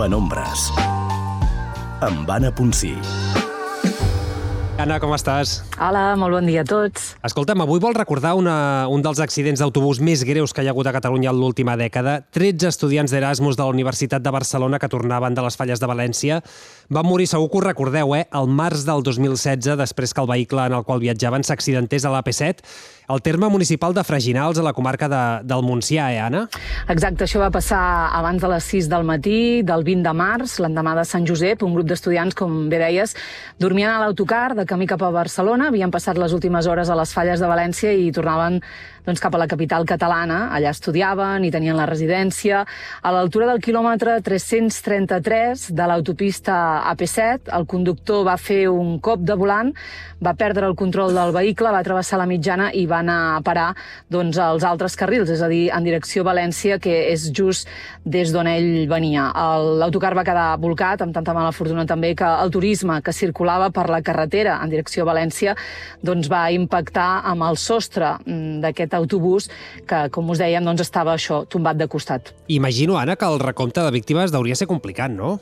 Penombres, amb Anna Ponsí. Anna, com estàs? Hola, molt bon dia a tots. Escolta'm, avui vol recordar un dels accidents d'autobús més greus que hi ha hagut a Catalunya en l'última dècada. 13 estudiants d'Erasmus de la Universitat de Barcelona que tornaven de les falles de València van morir, segur que ho recordeu, al març del 2016, després que el vehicle en el qual viatjaven s'accidentés a l'AP7, al terme municipal de Freginals, a la comarca del Montsià, Anna? Exacte, això va passar abans de les 6 del matí, del 20 de març, l'endemà de Sant Josep. Un grup d'estudiants, com bé deies, dormien a l'autocar de camí cap a Barcelona, havien passat les últimes hores a les falles de València i tornaven cap a la capital catalana. Allà estudiaven i tenien la residència. A l'altura del quilòmetre 333 de l'autopista AP7, el conductor va fer un cop de volant, va perdre el control del vehicle, va travessar la mitjana i va anar a parar als altres carrils, és a dir, en direcció a València, que és just des d'on ell venia. L'autocar va quedar bolcat, amb tanta mala fortuna també que el turisme que circulava per la carretera en direcció a València va impactar amb el sostre d'aquest autobús que, com us dèiem, estava tombat de costat. Imagino, Anna, que el recompte de víctimes hauria de ser complicat, no?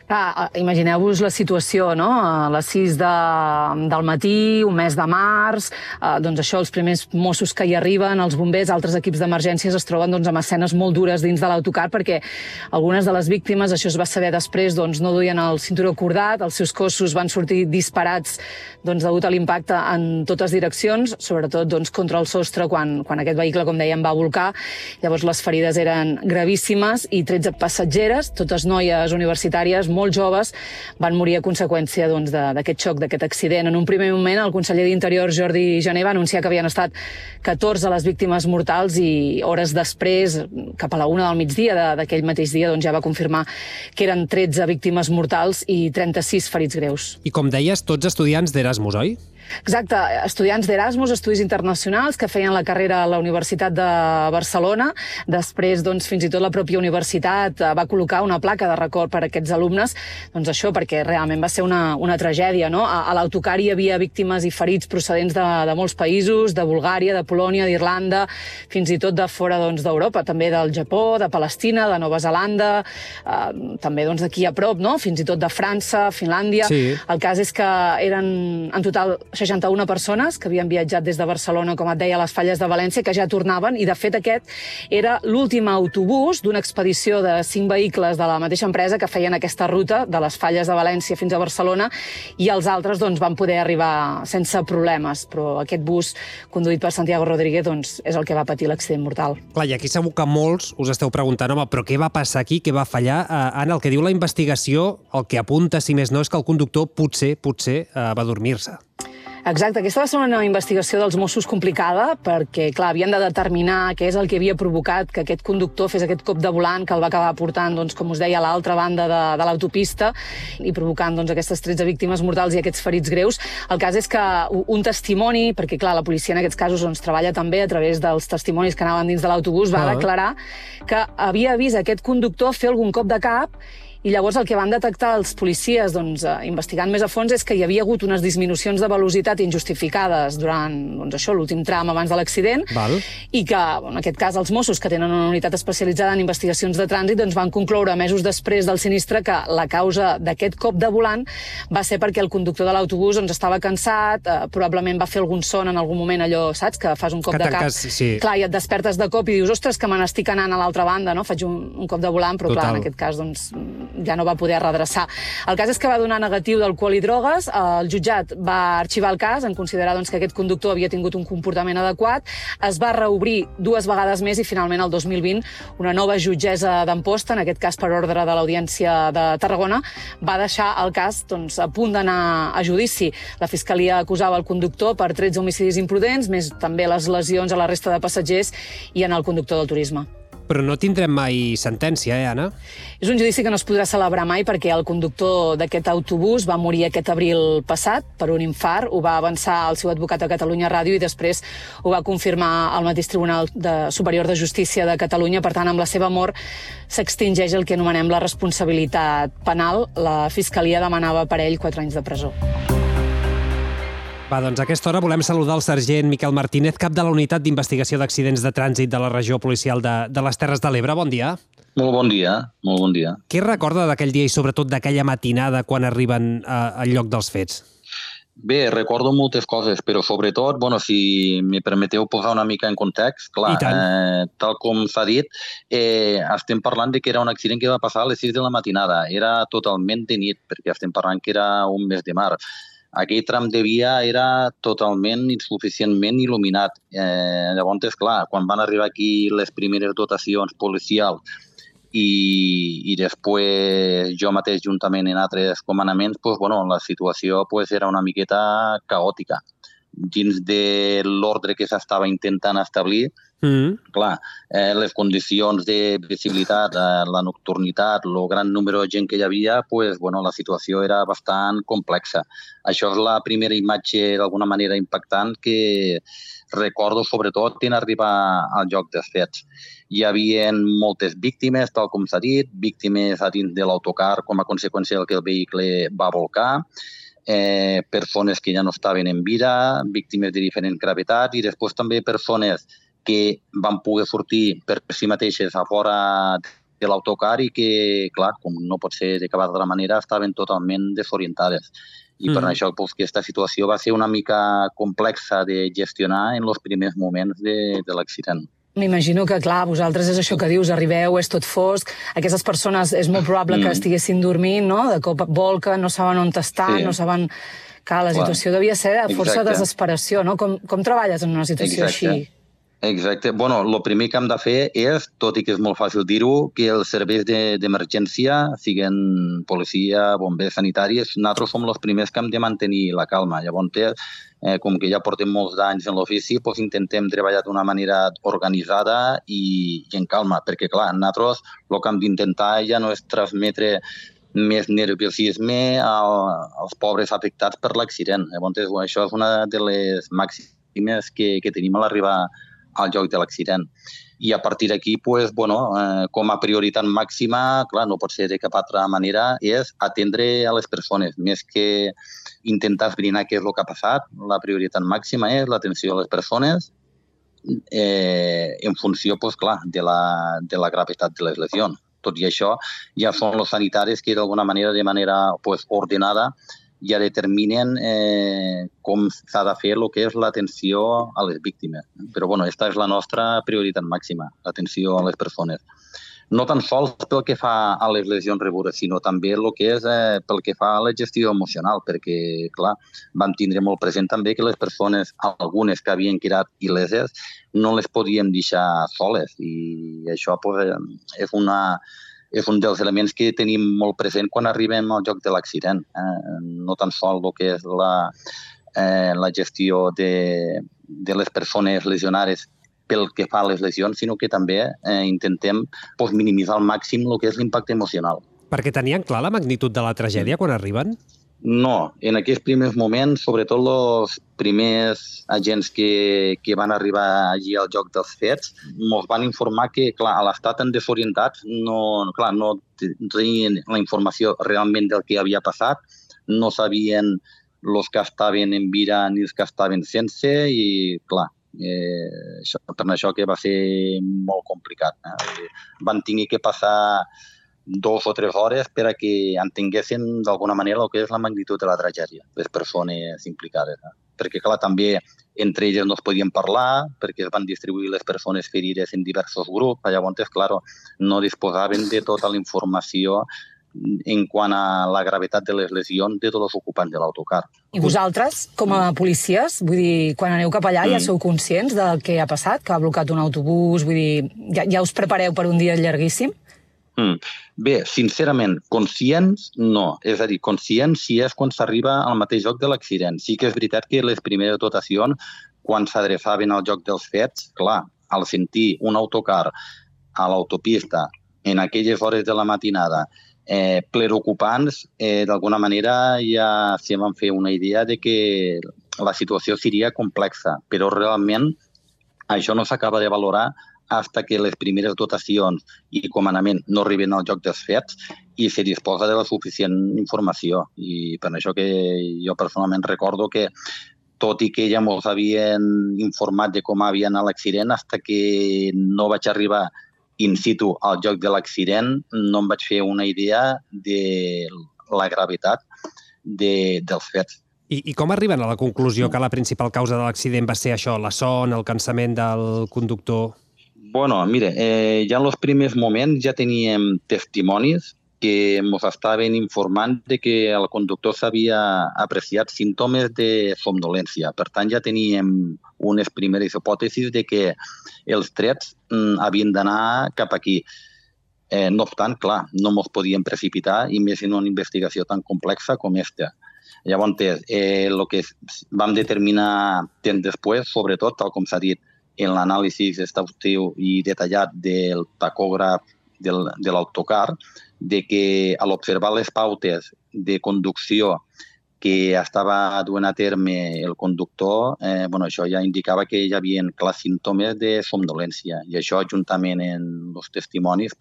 Imagineu-vos la situació, no? A les 6 del matí, un mes de març, els primers Mossos que hi arriben, els bombers, altres equips d'emergències es troben amb escenes molt dures dins de l'autocar perquè algunes de les víctimes, això es va saber després, no duien el cinturó cordat, els seus cossos van sortir disparats degut a l'impacte en totes direccions, sobretot contra el sostre quan aquest vehicle, com dèiem, va volcar. Llavors les ferides eren gravíssimes i 13 passatgeres, totes noies universitàries, molt joves, van morir a conseqüència d'aquest xoc, d'aquest accident. En un primer moment, el conseller d'Interior, Jordi Jané, va anunciar que havien estat 14 les víctimes mortals i hores després, cap a la 1 del migdia d'aquell mateix dia, ja va confirmar que eren 13 víctimes mortals i 36 ferits greus. I com deies, tots estudiants d'Erasmus, oi? Exacte, estudiants d'Erasmus, estudis internacionals, que feien la carrera a la Universitat de Barcelona. Després, fins i tot la pròpia universitat va col·locar una placa de record per a aquests alumnes, això perquè realment va ser una tragèdia, no? A l'autocar hi havia víctimes i ferits procedents de molts països, de Bulgària, de Polònia, d'Irlanda, fins i tot de fora d'Europa, també del Japó, de Palestina, de Nova Zelanda, també d'aquí a prop, no? Fins i tot de França, Finlàndia. Sí. El cas és que eren en total 61 persones que havien viatjat des de Barcelona, com et deia, a les falles de València, que ja tornaven, i de fet aquest era l'últim autobús d'una expedició de 5 vehicles de la mateixa empresa que feien aquesta ruta de les falles de València fins a Barcelona, i els altres van poder arribar sense problemes, però aquest bus conduït per Santiago Rodríguez és el que va patir l'accident mortal. Clar, i aquí segur que molts us esteu preguntant, home, però què va passar aquí, què va fallar? Anna, el que diu la investigació, el que apunta, si més no, és que el conductor potser va dormir-se. Exacte, aquesta va ser una investigació dels Mossos complicada perquè, clar, havien de determinar què és el que havia provocat que aquest conductor fes aquest cop de volant que el va acabar portant, com us deia, a l'altra banda de l'autopista i provocant aquestes 13 víctimes mortals i aquests ferits greus. El cas és que un testimoni, perquè, clar, la policia en aquests casos treballa també a través dels testimonis que anaven dins de l'autobús, va declarar que havia vist aquest conductor fer algun cop de cap. I llavors el que van detectar els policies, investigant més a fons, és que hi havia hagut unes disminucions de velocitat injustificades durant l'últim tram abans de l'accident, i que, en aquest cas, els Mossos, que tenen una unitat especialitzada en investigacions de trànsit, van concloure mesos després del sinistre que la causa d'aquest cop de volant va ser perquè el conductor de l'autobús estava cansat, probablement va fer algun son en algun moment, allò, saps, que fas un cop de cap. Sí. Clar, i et despertes de cop i dius, ostres, que me n'estic anant a l'altra banda, no? Faig un cop de volant, però clar, en aquest cas, ja no va poder redreçar. El cas és que va donar negatiu d'alcohol i drogues, el jutjat va arxivar el cas en considerar que aquest conductor havia tingut un comportament adequat, es va reobrir 2 vegades més i finalment el 2020 una nova jutgessa d'Amposta, en aquest cas per ordre de l'Audiència de Tarragona, va deixar el cas a punt d'anar a judici. La Fiscalia acusava el conductor per 13 homicidis imprudents, més també les lesions a la resta de passatgers i en el conductor del turisme. Però no tindrem mai sentència, Anna? És un judici que no es podrà celebrar mai perquè el conductor d'aquest autobús va morir aquest abril passat per un infart. Ho va avançar el seu advocat a Catalunya Ràdio i després ho va confirmar el mateix Tribunal Superior de Justícia de Catalunya. Per tant, amb la seva mort s'extingeix el que anomenem la responsabilitat penal. La Fiscalia demanava per ell 4 anys de presó. Va, doncs a aquesta hora volem saludar el sergent Miquel Martínez, cap de la Unitat d'Investigació d'Accidents de Trànsit de la Regió Policial de les Terres de l'Ebre. Bon dia. Molt bon dia, molt bon dia. Què recorda d'aquell dia i sobretot d'aquella matinada quan arriben al lloc dels fets? Bé, recordo moltes coses, però sobretot, si me permeteu posar una mica en context, clar, tal com s'ha dit, estem parlant de que era un accident que va passar a les 6 de la matinada. Era totalment de nit, perquè estem parlant que era un mes de març. Aquell tram de via era totalment insuficientment il·luminat. Llavors, clar, quan van arribar aquí les primeres dotacions policials i després jo mateix juntament en altres comandaments, la situació era una miqueta caòtica. Dins de l'ordre que s'estava intentant establir, clar, les condicions de visibilitat, la nocturnitat, el gran número de gent que hi havia, la situació era bastant complexa. Això és la primera imatge d'alguna manera impactant que recordo sobretot en arribar al lloc dels fets. Hi havia moltes víctimes, tal com s'ha dit, víctimes a dins de l'autocar com a conseqüència del que el vehicle va volcar, persones que ja no estaven en vida, víctimes de diferent gravetat i després també persones que van poder sortir per si mateixes a fora de l'autocar i que, clar, com no pot ser de cap altra manera, estaven totalment desorientades. I per això aquesta situació va ser una mica complexa de gestionar en els primers moments de l'accident. M'imagino que, clar, vosaltres és això que dius, arribeu, és tot fosc, aquestes persones és molt probable que estiguessin dormint, no? De cop volca, no saben on estan, no saben... Clar, la situació devia ser de força desesperació, no? Com treballes en una situació així? Exacte. El primer que hem de fer és, tot i que és molt fàcil dir-ho, que els serveis d'emergència, siguin policia, bombers sanitaris, nosaltres som els primers que hem de mantenir la calma. Llavors, com que ja portem molts anys en l'ofici, intentem treballar d'una manera organitzada i en calma, perquè, clar, nosaltres el que hem d'intentar ja no és transmetre més nerviosisme als pobres afectats per l'accident. Llavors, això és una de les màximes que tenim a l'arribar al lloc de l'accident. I a partir d'aquí, com a prioritat màxima, clar, no pot ser de cap altra manera, és atendre a les persones. Més que intentar esbrinar què és el que ha passat, la prioritat màxima és l'atenció a les persones en funció, clar, de la gravetat de les lesions. Tot i això, ja són els sanitaris que d'alguna manera, de manera ordenada, ja determinen com s'ha de fer el que és l'atenció a les víctimes. Però, aquesta és la nostra prioritat màxima, l'atenció a les persones. No tan sols pel que fa a les lesions rebudes, sinó també el que és pel que fa a la gestió emocional, perquè, clar, vam tindre molt present també que les persones, algunes que havien quedat il·leses, no les podíem deixar soles. I això és un dels elements que tenim molt present quan arribem al lloc de l'accident. No tan sols el que és la gestió de les persones lesionades pel que fa a les lesions, sinó que també intentem minimitzar al màxim el que és l'impacte emocional. Perquè tenien clar la magnitud de la tragèdia quan arriben? No, en aquests primers moments, sobretot els primers agents que van arribar allí al lloc dels fets, ens van informar que, clar, a l'estat tan desorientats, no tenien la informació realment del que havia passat, no sabien els que estaven en vida ni els que estaven sense i, clar, per això que va ser molt complicat. Van tenir que passar 2 o 3 hores per a que entenguessin d'alguna manera el que és la magnitud de la tragèdia, les persones implicades. Perquè, clar, també entre elles no es podien parlar, perquè es van distribuir les persones ferides en diversos grups. Llavors, clar, no disposaven de tota la informació en quant a la gravetat de les lesions de tots els ocupants de l'autocar. I vosaltres, com a policies, vull dir, quan aneu cap allà ja sou conscients del que ha passat, que ha blocat un autobús, vull dir, ja us prepareu per un dia llarguíssim? Bé, sincerament, conscients no. És a dir, conscients si és quan s'arriba al mateix lloc de l'accident. Sí que és veritat que les primeres dotacions, quan s'adreçaven al lloc dels fets, clar, al sentir un autocar a l'autopista en aquelles hores de la matinada ple d'ocupants, d'alguna manera ja se van fer una idea de que la situació seria complexa, però realment això no s'acaba de valorar fins que les primeres dotacions i comandament no arriben al lloc dels fets i se disposa de la suficient informació. I per això que jo personalment recordo que, tot i que ja ens havien informat de com havia anat l'accident, fins que no vaig arribar in situ al lloc de l'accident no em vaig fer una idea de la gravetat dels fets. I com arriben a la conclusió que la principal causa de l'accident va ser això, la son, el cansament del conductor? Bueno, mire, ja en els primers moments ja teníem testimonis que ens estaven informant de que el conductor s'havia apreciat símptomes de somnolència. Per tant, ja teníem unes primeres hipòtesis de que els trets havien d'anar cap aquí. No obstant, clar, no ens podíem precipitar, i més en una investigació tan complexa com aquesta. Llavors, el que vam determinar temps després, sobretot, tal com s'ha dit, en l'anàlisi exhaustiu i detallat del tacògraf de l'autocar, de que a l'observar les pautes de conducció que estava duent a terme el conductor, això ja indicava que hi havia clars símptomes de somnolència. I això, juntament amb els testimonis,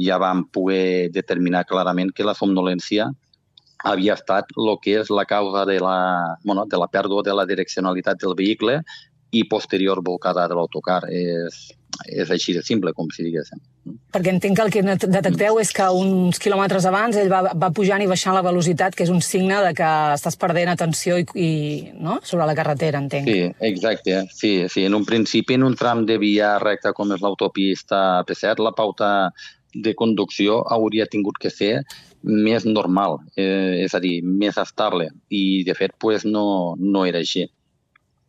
ja vam poder determinar clarament que la somnolència havia estat el que és la causa de la pèrdua de la direccionalitat del vehicle i posterior volcada de l'autocar. És així de simple, com si diguéssim. Perquè entenc que el que detecteu és que uns quilòmetres abans ell va pujant i baixant la velocitat, que és un signe de que estàs perdent atenció no? Sobre la carretera, entenc. Sí, exacte. Sí. En un principi, en un tram de via recta com és l'autopista P7, la pauta de conducció hauria tingut que ser més normal, és a dir, més estable. I, de fet, no era així.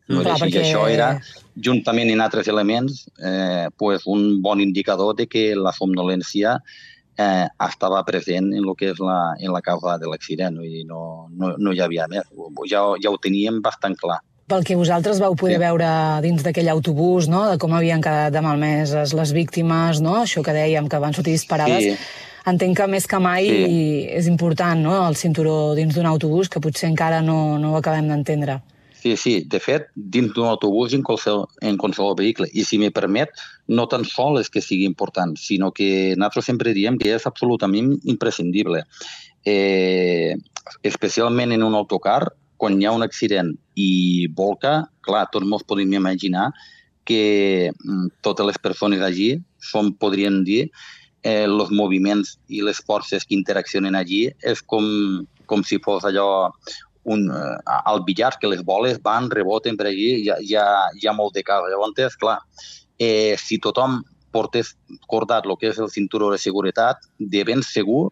No era així. I això era, juntament amb altres elements, un bon indicador de que la somnolència estava present en el que és la causa de l'accident. No hi havia més. Ja ho teníem bastant clar. Pel que vosaltres vau poder veure dins d'aquell autobús, no? De com havien quedat de malmeses les víctimes, no? Això que dèiem, que van sortir disparades. Sí. Entenc que més que mai és important, no? El cinturó dins d'un autobús, que potser encara no ho acabem d'entendre. Sí. De fet, dins d'un autobús en qualsevol vehicle. I si m'hi permet, no tan sol és que sigui important, sinó que nosaltres sempre diem que és absolutament imprescindible. Especialment en un autocar, quan hi ha un accident i volca, clar, tots ens podem imaginar que totes les persones allí podrien dir els moviments i les forces que interaccionen allí és com si fos allò al billar, que les boles van, reboten per allí, hi ha molt de cas. Llavors, clar, si tothom portés cordat el que és el cinturó de seguretat, de ben segur,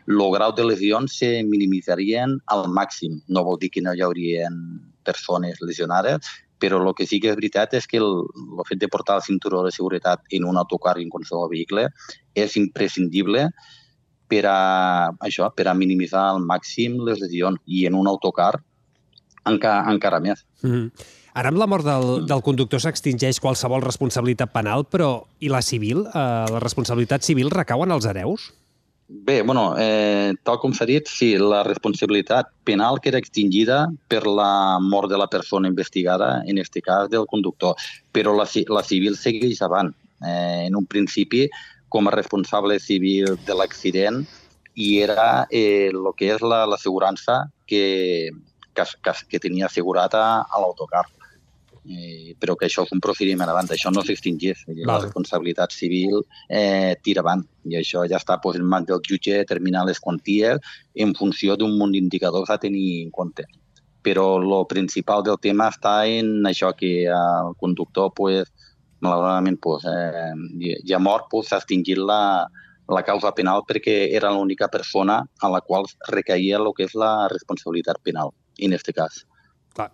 el grau de lesions se minimitzarien al màxim. No vol dir que no hi haurien persones lesionades, però el que sí que és veritat és que el fet de portar el cinturó de seguretat en un autocar i en qualsevol vehicle és imprescindible per a minimitzar al màxim les lesions, i en un autocar encara més. Ara, amb la mort del conductor s'extingeix qualsevol responsabilitat penal, però i la civil? La responsabilitat civil recau en els hereus? Bé, tal com s'ha dit, sí, la responsabilitat penal queda extingida per la mort de la persona investigada, en aquest cas del conductor, però la civil segueix avant. En un principi, com a responsable civil de l'accident, i era el que és l'assegurança que tenia assegurat a l'autocar. Però que això és un procediment avant, això no s'extingeix. La responsabilitat civil tira avant, i això ja està en mans del jutge determinar les quanties en funció d'un munt d'indicadors a tenir en compte. Però el principal del tema està en això, que el conductor, malauradament, ja mort, s'ha extingit la causa penal perquè era l'única persona a la qual recaïa el que és la responsabilitat penal, en aquest cas. Clar.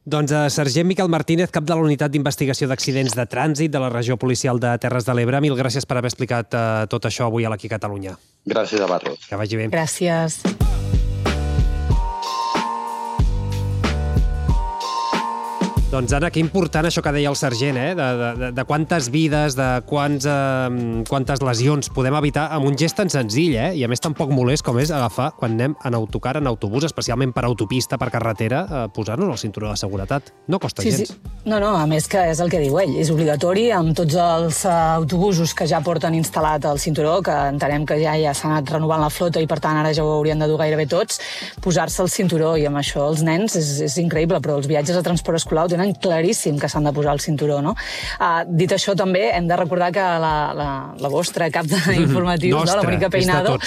Doncs sergent Miquel Martínez, cap de la Unitat d'Investigació d'Accidents de Trànsit de la Regió Policial de Terres de l'Ebre, mil gràcies per haver explicat tot això avui a l'Aquí Catalunya. Gràcies a vosaltres. Que vagi bé. Gràcies. Doncs, Anna, que important això que deia el sergent, de quantes vides, de quantes lesions podem evitar amb un gest tan senzill, i a més tan poc molest com és agafar, quan anem en autocar, en autobús, especialment per autopista, per carretera, posar-nos el cinturó de seguretat. No costa gens. Sí. No, a més que és el que diu ell, és obligatori amb tots els autobusos que ja porten instal·lat el cinturó, que entenem que ja s'ha anat renovant la flota i per tant ara ja ho haurien de dur gairebé tots, posar-se el cinturó, i amb això els nens és increïble, però els viatges a transport escolar ho tenen tenen claríssim que s'han de posar el cinturó, no? Dit això, també hem de recordar que la vostra cap d'informatius, la Mónica Peinado,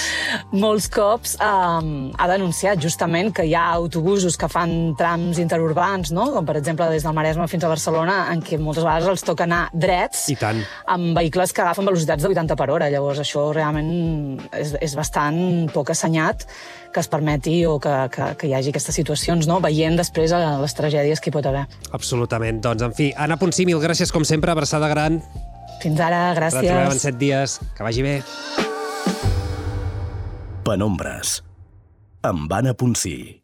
molts cops ha denunciat justament que hi ha autobusos que fan trams interurbans, no? Com per exemple des del Maresme fins a Barcelona, en què moltes vegades els toca anar drets amb vehicles que agafen velocitats de 80 per hora. Llavors això realment és bastant poc assenyat que es permeti o que hi hagi aquestes situacions, no? Veient després les tragèdies que hi pot haver. Absolutament. Doncs, en fi, Anna Ponsí, mil gràcies com sempre, abraçada gran. Fins ara, gràcies. Retrobem en 7 dies. Que vagi bé. Penombres, amb Anna Ponsí.